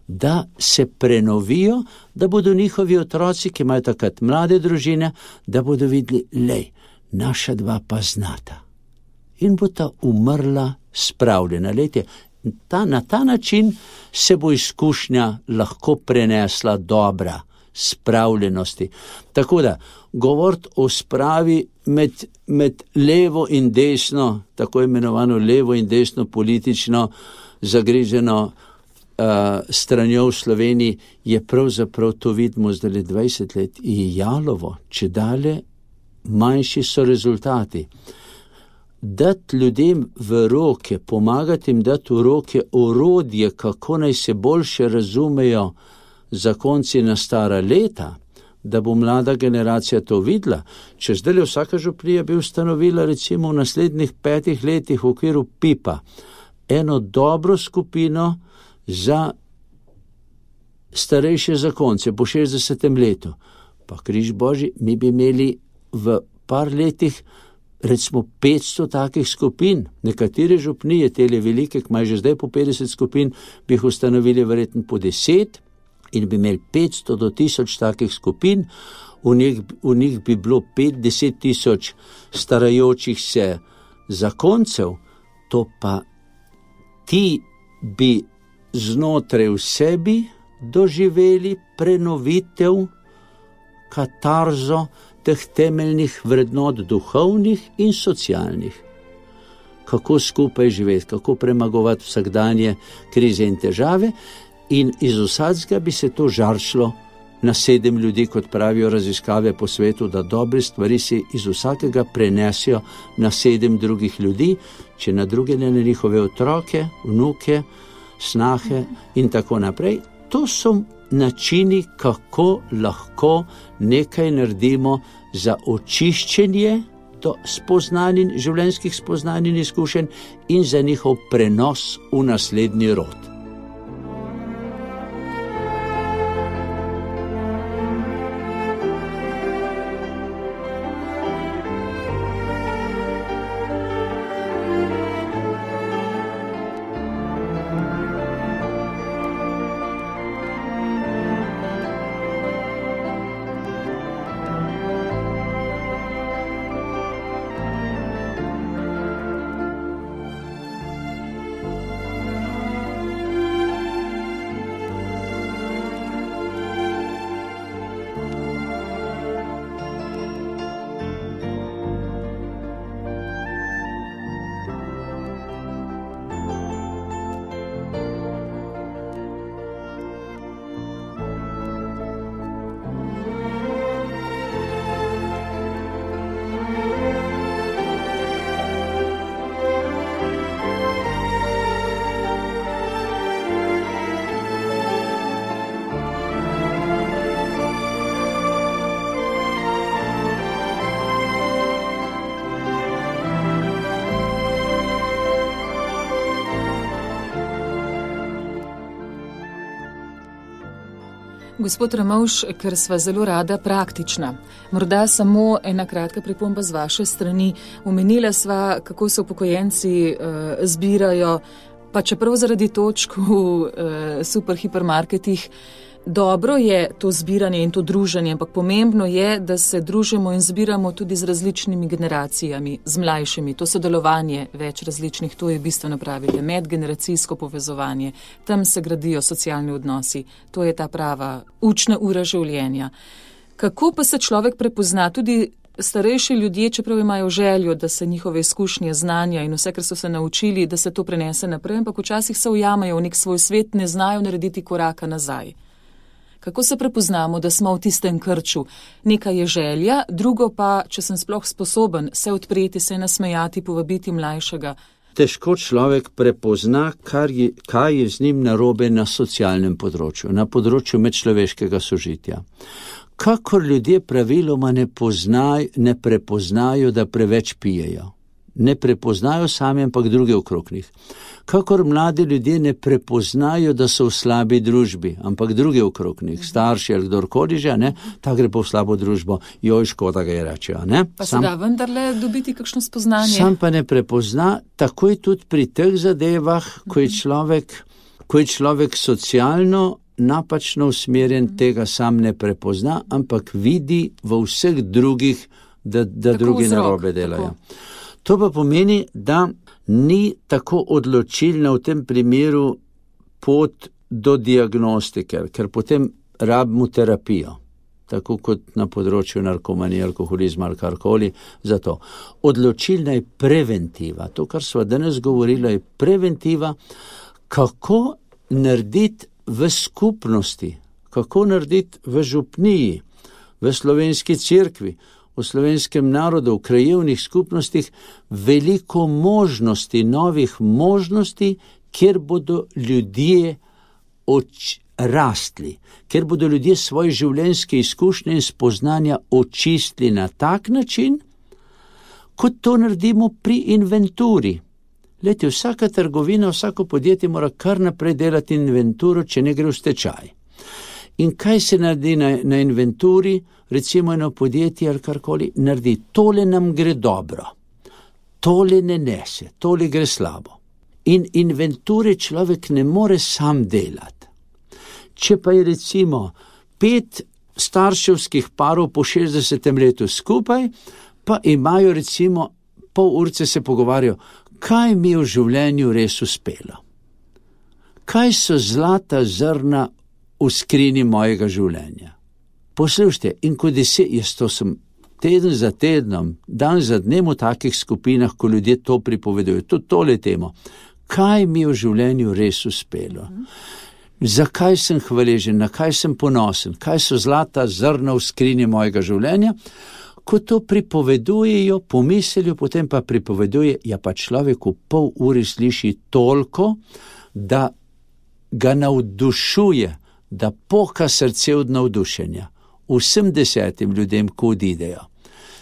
da se prenovijo, da bodo njihovi otroci, ki imajo takrat mlade družine, da bodo videli, lej, naša 2 pa znata. In bo ta umrla spravljena. Lejte, na ta način se bo izkušnja lahko prenesla dobra, spravljenosti. Tako da, govoriti o spravi med levo in desno, tako imenovano levo in desno politično zagriženo stranjo v Sloveniji, je pravzaprav, to vidimo zdaj 20 let, je jalovo, če dalje manjši so rezultati. Dati ljudem v roke, pomagati jim dati v roke orodje, kako naj se boljše razumejo zakonci na stara leta, da bo mlada generacija to videla. Če zdaj vsaka županija bi ustanovila recimo v naslednjih 5 letih v okviru PIP-a eno dobro skupino za starejše zakonce po 60. letu, pa križ božji, mi bi imeli v par letih recimo 500 takih skupin. Nekatere župnije, tele velike, ki imajo že zdaj po 50 skupin, bi jih ustanovili verjetno po 10 in bi imeli 500 do 1000 takih skupin. V njih bi bilo 5-10 tisoč starajočih se zakoncev, to pa ti bi znotraj v sebi doživeli prenovitev, katarzo teh temeljnih vrednot, duhovnih in socialnih. Kako skupaj živeti, kako premagovati vsakdanje krize in težave, in iz vsakega bi se to žarčilo na 7 ljudi, kot pravijo raziskave po svetu, da dobre stvari se iz vsakega prenesijo na 7 drugih ljudi, če na druge ne na njihove otroke, vnuke, snahe in tako naprej. To so načini, kako lahko nekaj naredimo za očiščenje do spoznanj in življenjskih spoznanj in izkušenj in za njihov prenos v naslednji rod. Gospod Ramovš, ker sva zelo rada praktična, morda samo ena kratka pripomba z vaše strani. Omenila sva, kako se upokojenci zbirajo, pa čeprav zaradi točk v superhipermarketih. Dobro je to zbiranje in to druženje, ampak pomembno je, da se družimo in zbiramo tudi z različnimi generacijami, z mlajšimi. To sodelovanje več različnih, to je bistveno pravite, medgeneracijsko povezovanje. Tam se gradijo socialni odnosi. To je ta prava učna ura življenja. Kako pa se človek prepozna? Tudi starejši ljudje, čeprav imajo željo, da se njihove izkušnje, znanja in vse, kar so se naučili, da se to prenese naprej, ampak včasih se ujamajo v nek svoj svet, ne znajo narediti koraka nazaj. Kako se prepoznamo, da smo v tistem krču? Nekaj je želja, drugo pa, če sem sploh sposoben se odpreti, se nasmejati, povabiti mlajšega. Težko človek prepozna, kaj je z njim narobe na socialnem področju, na področju medčloveškega sožitja. Kakor ljudje praviloma ne prepoznajo, da preveč pijejo. Ne prepoznajo sami, ampak druge okrog njih. Kakor mladi ljudje ne prepoznajo, da so v slabi družbi, ampak druge okrog njih, starši ali kdorkoli že, ta gre pa v slabo družbo, joj, škoda ga je rečejo. Pa se da vendarle dobiti kakšno spoznanje? Sam pa ne prepozna, tako je tudi pri teh zadevah, ko je človek socialno napačno usmerjen, tega sam ne prepozna, ampak vidi v vseh drugih, da drugi narobe delajo. To pa pomeni, da ni tako odločilna v tem primeru pot do diagnostike, ker potem rabimo terapijo, tako kot na področju narkomanije, alkoholizma ali karkoli. Zato odločilna je preventiva. To, kar sva danes govorila, je preventiva, kako narediti v skupnosti, kako narediti v župniji, v slovenski cerkvi, v slovenskem narodu, v krajevnih skupnostih veliko možnosti, novih možnosti, kjer bodo ljudje rastli, kjer bodo ljudje svoje življenjske izkušnje in spoznanja očistili na tak način, kot to naredimo pri inventuri. Glejte, vsaka trgovina, vsako podjetje mora kar naprej delati inventuro, če ne gre v stečaj. In kaj se naredi na inventuri, recimo eno podjetje ali karkoli, naredi, tole nam gre dobro, tole ne nese, tole gre slabo. In inventure človek ne more sam delati. Če pa je recimo 5 starševskih parov po 60. letu skupaj, pa imajo recimo pol urce se pogovarjajo, kaj mi je v življenju res uspelo. Kaj so zlata zrna v skrini mojega življenja. Poslušajte, in ko jaz to sem teden za tednom, dan za dnem v takih skupinah, ko ljudje to pripovedujo, tudi tole temo, kaj mi je v življenju res uspelo. Zakaj sem hvaležen, na kaj sem ponosen, kaj so zlata zrna v skrini mojega življenja, ko to pripovedujejo, pomislijo, potem pa pripoveduje, ja pa človek v pol uri sliši toliko, da ga navdušuje, da poka srce od navdušenja. Vsem 10 ljudem, ko odidejo,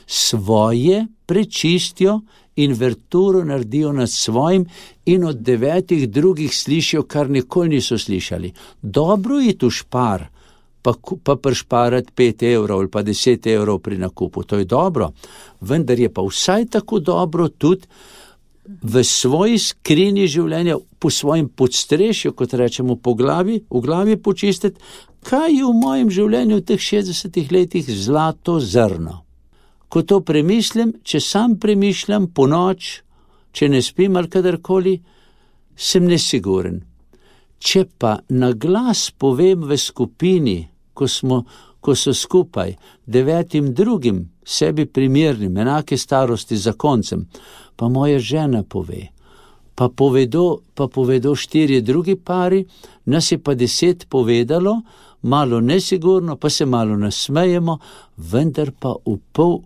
svoje prečistijo, inverturo naredijo nad svojim in od 9 drugih slišijo, kar nikoli niso slišali. Dobro je tu špar, pa prišparati 5 evrov ali pa 10 evrov pri nakupu, to je dobro, vendar je pa vsaj tako dobro tudi v svoji skrini življenja, po svojem podstrešju, kot rečemo, v glavi počistiti, kaj je v mojem življenju v teh 60 letih zlato zrno. Ko to premislim, če sam premišljam po noč, če ne spim ali kadarkoli, sem nesiguren. Če pa na glas povem v skupini, ko so skupaj 9 drugim, sebi primernim, enake starosti za koncem, pa moja žena pove, pa povedo 4 drugi pari, nas je pa 10 povedalo, malo nesigurno, pa se malo nasmejemo, vendar pa v pol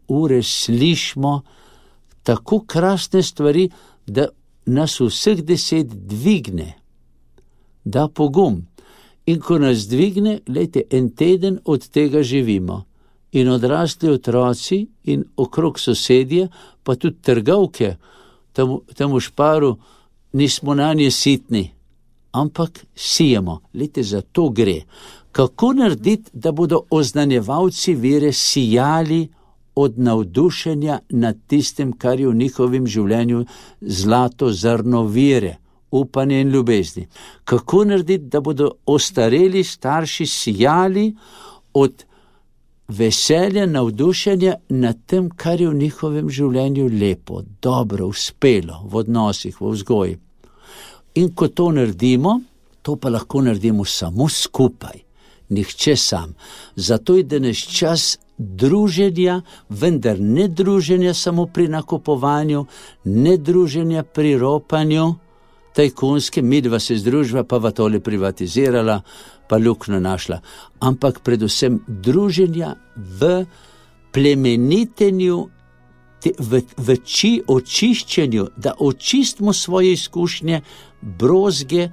ure slišimo tako krasne stvari, da nas vseh 10 dvigne, da pogum. In ko nas dvigne, lejte, en teden od tega živimo. In odrasli otroci in okrog sosedje, pa tudi trgovke, tam v Šparu, nismo na nje sitni, ampak sijemo. Lejte, za to gre. Kako narediti, da bodo oznanjevalci vere sijali od navdušenja nad tistim, kar je v njihovem življenju zlato zrno vere, upanje in ljubezni. Kako narediti, da bodo ostareli starši sijali od veselja, navdušenja nad tem, kar je v njihovem življenju lepo, dobro, uspelo, v odnosih, v vzgoji. In ko to naredimo, to pa lahko naredimo samo skupaj, nihče sam. Zato je danes čas druženja, vendar ne druženja samo pri nakupovanju, ne druženja pri ropanju, tajkunske, midva se združva, pa va tole privatizirala, pa luknjo našla. Ampak predvsem druženja v plemenitenju, v očiščenju, da očistimo svoje izkušnje, brozge,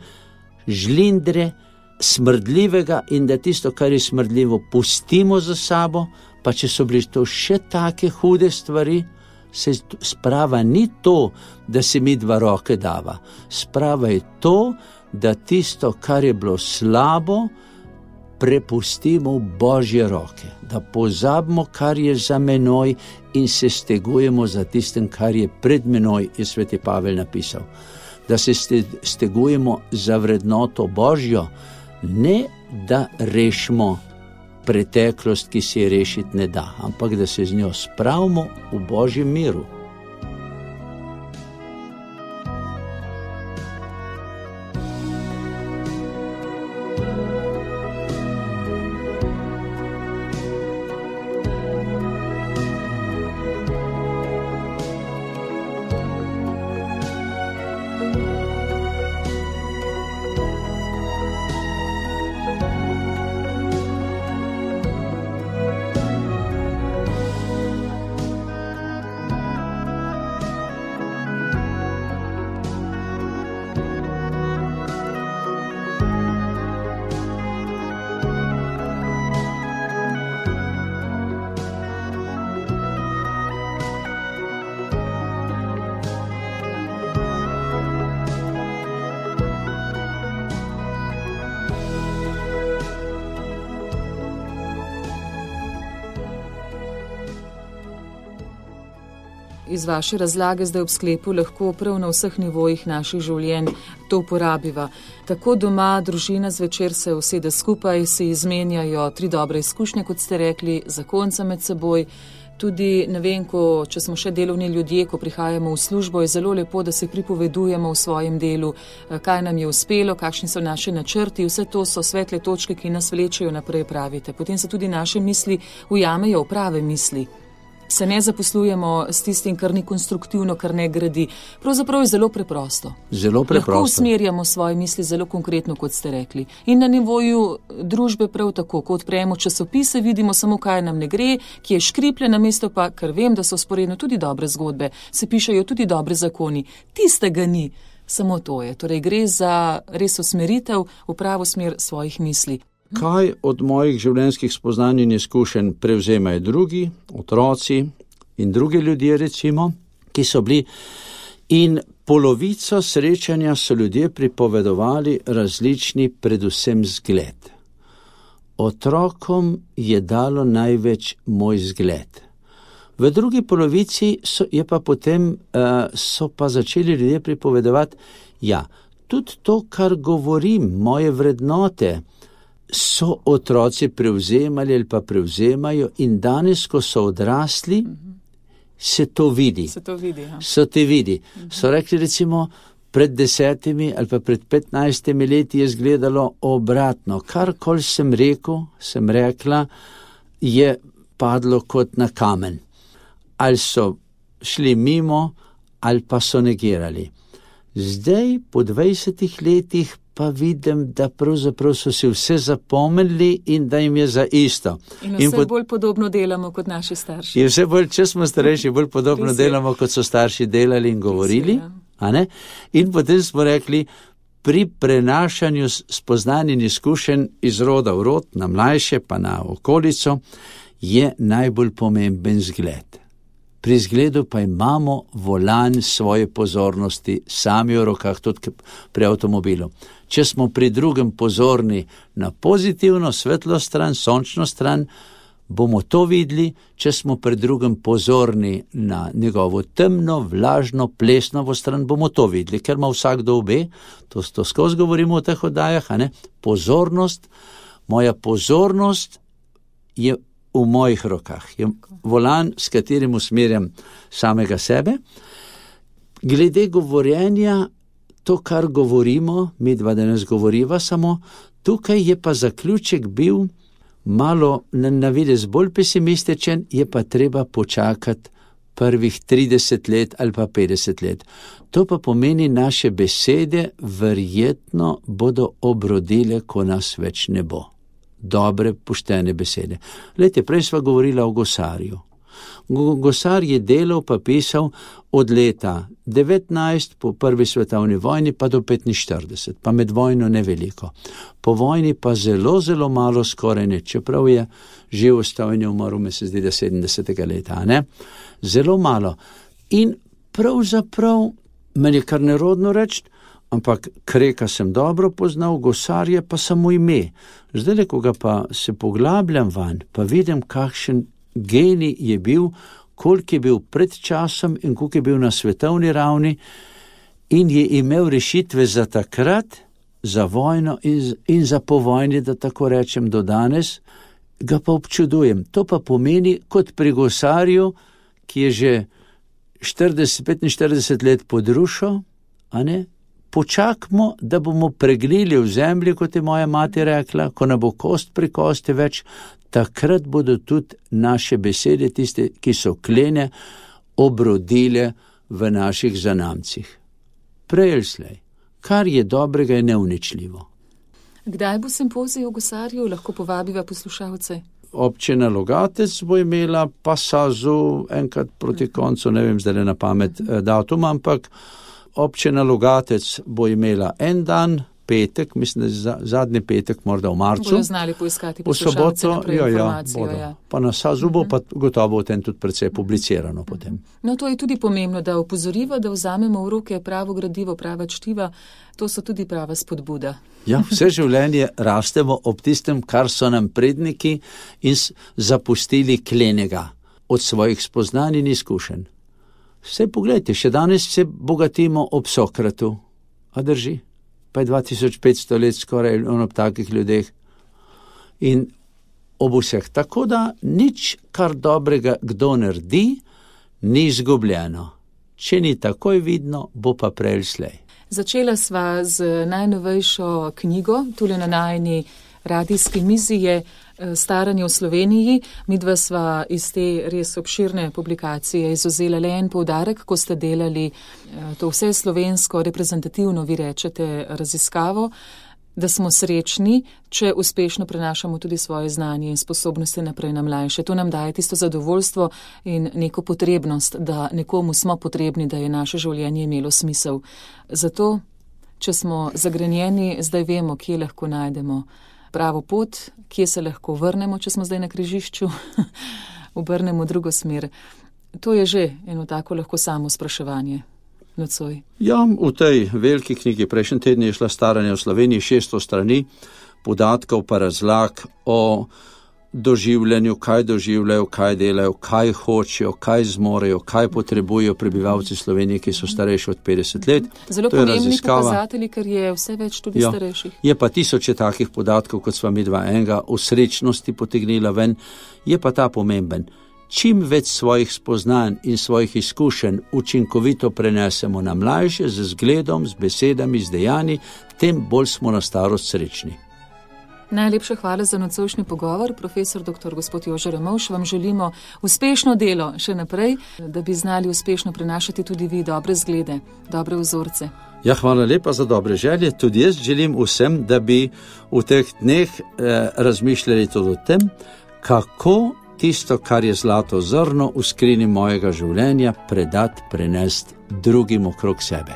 žlindre, smrdljivega in da tisto, kar je smrdljivo, pustimo za sabo, pa če so bili to še take hude stvari, se sprava ni to, da se mi dva roke dava. Sprava je to, da tisto, kar je bilo slabo, prepustimo v Božje roke, da pozabimo, kar je za menoj in se stegujemo za tistem, kar je pred menoj, je sveti Pavel napisal. Da se stegujemo za vrednoto Božjo, ne da rešimo preteklost, ki se je rešiti ne da, ampak da se z njo spravimo v Božjem miru. Iz vaše razlage zdaj ob sklepu lahko prav na vseh nivojih naših življenj to uporabiva. Tako doma, družina zvečer se usede skupaj, si izmenjajo 3 dobre izkušnje, kot ste rekli, zakonca med seboj. Tudi, ne vem, če smo še delovni ljudje, ko prihajamo v službo, je zelo lepo, da se pripovedujemo v svojem delu, kaj nam je uspelo, kakšni so naše načrti. Vse to so svetle točke, ki nas vlečejo naprej, pravite. Potem se tudi naše misli ujamejo v prave misli. Se ne zaposlujemo s tistim, kar ni konstruktivno, kar ne gradi. Pravzaprav je zelo preprosto. Zelo preprosto. Lahko usmerjamo svoje misli zelo konkretno, kot ste rekli. In na nivoju družbe prav tako, ko odpremo časopise, vidimo samo, kaj nam ne gre, ki je škriplje, namesto pa, ker vem, da so sporedno tudi dobre zgodbe, se pišejo tudi dobre zakoni. Tistega ni, samo to je. Torej gre za res usmeritev v pravo smer svojih misli. Kaj od mojih življenjskih spoznanj in izkušenj prevzemajo drugi, otroci in drugi ljudje, recimo, ki so bili, in polovico srečanja so ljudje pripovedovali različni, predvsem zgled. Otrokom je dalo največ moj zgled. V drugi polovici so pa začeli ljudje pripovedovati, ja, tudi to, kar govorim, moje vrednote, so otroci prevzemali ali pa prevzemajo in danes, ko so odrasli, se to vidi. Se te vidi. So rekli, recimo, pred 10 ali pa pred 15 leti je izgledalo obratno. Karkoli sem rekla, je padlo kot na kamen. Ali so šli mimo, ali pa so negirali. Zdaj, po 20 letih, pa vidim, da pravzaprav so si vse zapomnili in da jim je za isto. In vse bolj podobno delamo kot naši starši. In vse bolj, če smo starejši, bolj podobno delamo, kot so starši delali in govorili. In potem smo rekli, pri prenašanju spoznanj in izkušenj iz roda v rod, na mlajše pa na okolico, je najbolj pomemben zgled. Pri zgledu pa imamo volan svoje pozornosti, sami v rokah, tudi pri avtomobilu. Če smo pri drugem pozorni na pozitivno, svetlo stran, sončno stran, bomo to videli. Če smo pri drugem pozorni na njegovo temno, vlažno, plesnovo stran, bomo to videli, ker ima vsakdo obe. To skozi govorimo v teh oddajah, pozornost, moja pozornost je v mojih rokah. Je volan, s katerim usmerjam samega sebe. Glede govorjenja, to, kar govorimo, mi dva danes govoriva samo, tukaj je pa zaključek bil malo na videz bolj pesimističen, je pa treba počakati prvih 30 let ali pa 50 let. To pa pomeni, naše besede verjetno bodo obrodile, ko nas več ne bo. Dobre, poštene besede. Glejte, prej sva govorila o Gosarju. Gosar je delal pa pisal od leta 19 po prvi svetovni vojni pa do 45, pa med vojno ne veliko. Po vojni pa zelo, zelo malo, skoraj ne, čeprav je živ ostal in je umrl, me se zdi, da 70. leta, ne? Zelo malo. In pravzaprav meni je kar nerodno reči, ampak Kreka sem dobro poznal, Gosarje pa samo ime. Zdaj, ko ga pa se poglabljam vanj, pa vidim, kakšen genij je bil, koliko je bil pred časom in koliko je bil na svetovni ravni in je imel rešitve za takrat, za vojno in za povojni, da tako rečem, do danes, ga pa občudujem. To pa pomeni, kot pri Gosarju, ki je že 45 let podrušal, a ne? Počakamo, da bomo pregnili v zemlji, kot je moja mati rekla, ko ne bo kost pri kosti več, takrat bodo tudi naše besede, tiste, ki so klene, obrodile v naših zanamcih. Prej ali slej, kar je dobrega, je neuničljivo. Kdaj bo simpozij o Gosarju, lahko povabiva poslušalce? Občina Logatec bo imela pa Sazu enkrat proti koncu, ne vem zdaj na pamet datum, ampak občina Logatec bo imela en dan, petek, mislim, da zadnji petek, morda v marcu. Bojo znali poiskati poslušalce naprej informacijo. Ja. Pa na Sazu bo pa gotovo o tem tudi precej publicirano potem. No, to je tudi pomembno, da opozoriva, da vzamemo v roke pravo gradivo, prava čtiva, to so tudi prava spodbuda. Ja, vse življenje rastemo ob tistem, kar so nam predniki in zapustili klenega od svojih spoznanj in izkušenj. Vse pogledajte, še danes se bogatimo ob Sokratu, a drži? Pa je 2500 let skoraj ob takih ljudeh in ob vseh. Tako da nič, kar dobrega kdo naredi, ni izgubljeno. Če ni takoj vidno, bo pa prej slej. Začela sva z najnovejšo knjigo, tule na najini radijski mizi je Staranje v Sloveniji. Midva sva iz te res obširne publikacije izvzela le en poudarek, ko ste delali to vse slovensko reprezentativno, vi rečete, raziskavo, da smo srečni, če uspešno prenašamo tudi svoje znanje in sposobnosti naprej na mlajše. To nam daje tisto zadovoljstvo in neko potrebnost, da nekomu smo potrebni, da je naše življenje imelo smisel. Zato, če smo zagrenjeni, zdaj vemo, kje lahko najdemo pravo pot, kje se lahko vrnemo, če smo zdaj na križišču, obrnemo drugo smer. To je že eno tako lahko samo spraševanje. Nocoj. Ja, v tej veliki knjigi prejšnji teden je šla Staranje v Sloveniji 600 strani, podatkov pa razlag o doživljanju, kaj doživljajo, kaj delajo, kaj hočejo, kaj zmorejo, kaj potrebujejo prebivalci Slovenije, ki so starejši od 50 let. Zelo pomembni pokazatelji, ker je vse več tudi starejših. Je pa tisoče takih podatkov, kot sva mi dva enega o srečnosti potegnila ven, je pa ta pomemben. Čim več svojih spoznanj in svojih izkušenj učinkovito prenesemo na mlajše, z zgledom, z besedami, z dejanji, tem bolj smo na starost srečni. Najlepša hvala za nocojšnji pogovor, profesor dr. gospod Jože Ramovš. Vam želimo uspešno delo še naprej, da bi znali uspešno prenašati tudi vi dobre zglede, dobre vzorce. Ja, hvala lepa za dobre želje. Tudi jaz želim vsem, da bi v teh dneh razmišljali tudi o tem, kako tisto, kar je zlato zrno v skrini mojega življenja, predati, prenesti drugim okrog sebe.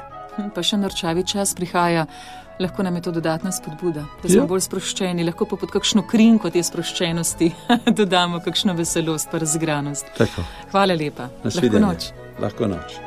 Pa še norčavi čas prihaja. Lahko nam je to dodatna spodbuda, da smo bolj sproščeni, lahko pa pod kakšno krinko te sproščenosti dodamo kakšno veselost pa razigranost. Tako. Hvala lepa. Lahko noč. Lahko noč.